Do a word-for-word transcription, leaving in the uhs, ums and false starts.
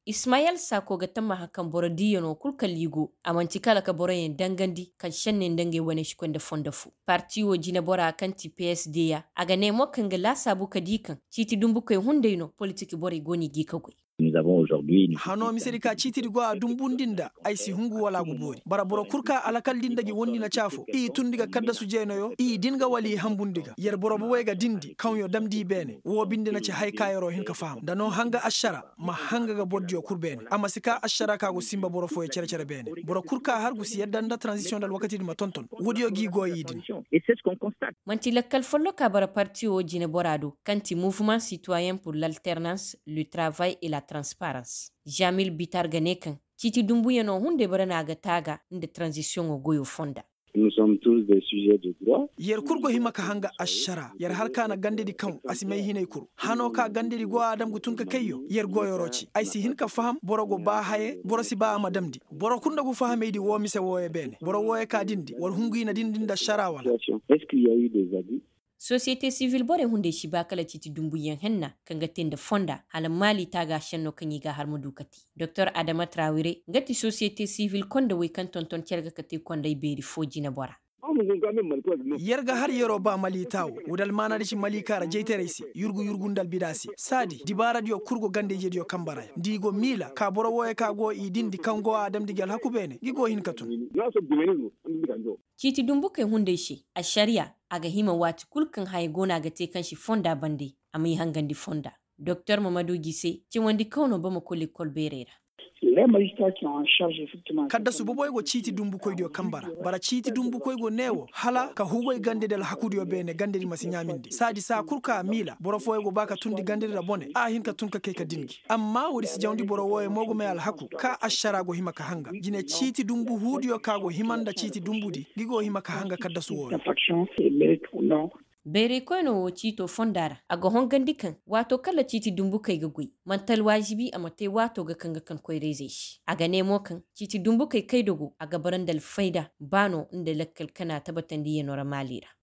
Ismayel saako ga tammaha kaŋ boro diiyano kul kala i go, a man'ti kala ka boroyaŋ dangandi kaŋ senney nda ngey wane si koy nda fondo fo. Parti wo jineboraa kaŋ ti psd ya, a ga ne mo kaŋ ga laasaabu ka di kaŋ ciiti dumbukey hunday no politik borey go no i g'i ka goy. Hano mise di ka ciiti di go a dumbundi nda ay si hungu wala a go boori bara boro kul ka alakal di nda gi wondi na caafo i tundi ga kaddasu jeenayo i din ga wala i hambundi ga yer boro bobey ga dindi kaŋyo damndi i beene woo binde na ci haya ka yeroo hin ka faham nda no hanga ašara ma hanga ga bordiyo kul beene a ma si ka ašara ka go sinba boro fooyo cere-cere beene. Boro kul ka har gu si yadda nda taranzisiyoŋ nda alwakati di ma tonton woodiyo g'i go i din. Man'ti lakkal folloka bara partiyo jineboraa do kaŋ ti mouvement citoyen pour l'alternance, le travail et la transparence. Jamil bitar ga ne kaŋ ciiti dumbuyano hunday bara no a ga taaga nda taranzisiyoŋo goyo fonda. Yer kul go hima ka hanga ašara yer har ka na gandedi kaŋ a si may hinay kul hano ka gandedi go a dam ga tun ka kayyo yer go yeroo ci ay si hin ka faham boro go ba haye boro si ba a ma damndi. Boro kul nda gu fahamey di woo mise wooyo beene boro wooyo ka dindi war hungu i na dindi nda ašara wala. Sosiyete sivil borey hunday si ba kala ciiti dumbuyaŋ henna kaŋ ga te nda fonda hala maali taaga šenno kaŋ i ga a har ma du ka te. Doktor adama trawire nga ti sosiyete sivil konda wey kaŋ tonton cere ga ka te konday beeri foo jineboraa. Yer ga har yeroo ba maliita wo woo da almaana da ci maliika ra jaytaray se yurgu-yurgu nda albida se saadi dibaaradiyo kul go ganda-ijediyo kambe ra yaŋ nda i go miila ka boro wooyo ka go i dindi kaŋ go a damndi gi alhaku beene gi go hin ka tun. Ciiti dumbukey hunday se ašariya a ga hima waati kul kaŋ haya go no a ga te kaŋ si fonda bande a m'ay hangandi fonda. Doktor mamadu gise cawandi kaw no bamako lekkol beerey ra. Kaddasu boboy go ciiti dumbukoydiyo kambe ra bara ciiti dumbukoy go ne wo hala ka hugoy gandedi alhakudiyo beene gandedi ma si ɲaamindi saadi saa kul ka a miila boro fooyo go ba ka tundi gandedi ra bone a hin ka tun ka kay ka din gi amma woodi si jawndi boro wooyo mo go may alhaku ka ašara go hima ka hanga jine ciiti dumbu huudiyo ka go hima nda ciiti dumbudi ngi go hima ka hanga kaddasu wooyo. Bayraykoynoo woo ciitoo fondaa ra a ga hongandi kaŋ waatoo kaŋ ra ciiti dumbukey ga goy man'ti alwaažibi a ma tee waatoo ga kaŋ ga kaŋ koyra-izey se a ga nee mo kaŋ ciiti dumbukey kayda go a ga bara nda alfayda ba no nda lakkal kana tabatandiyanoo ra maali ra.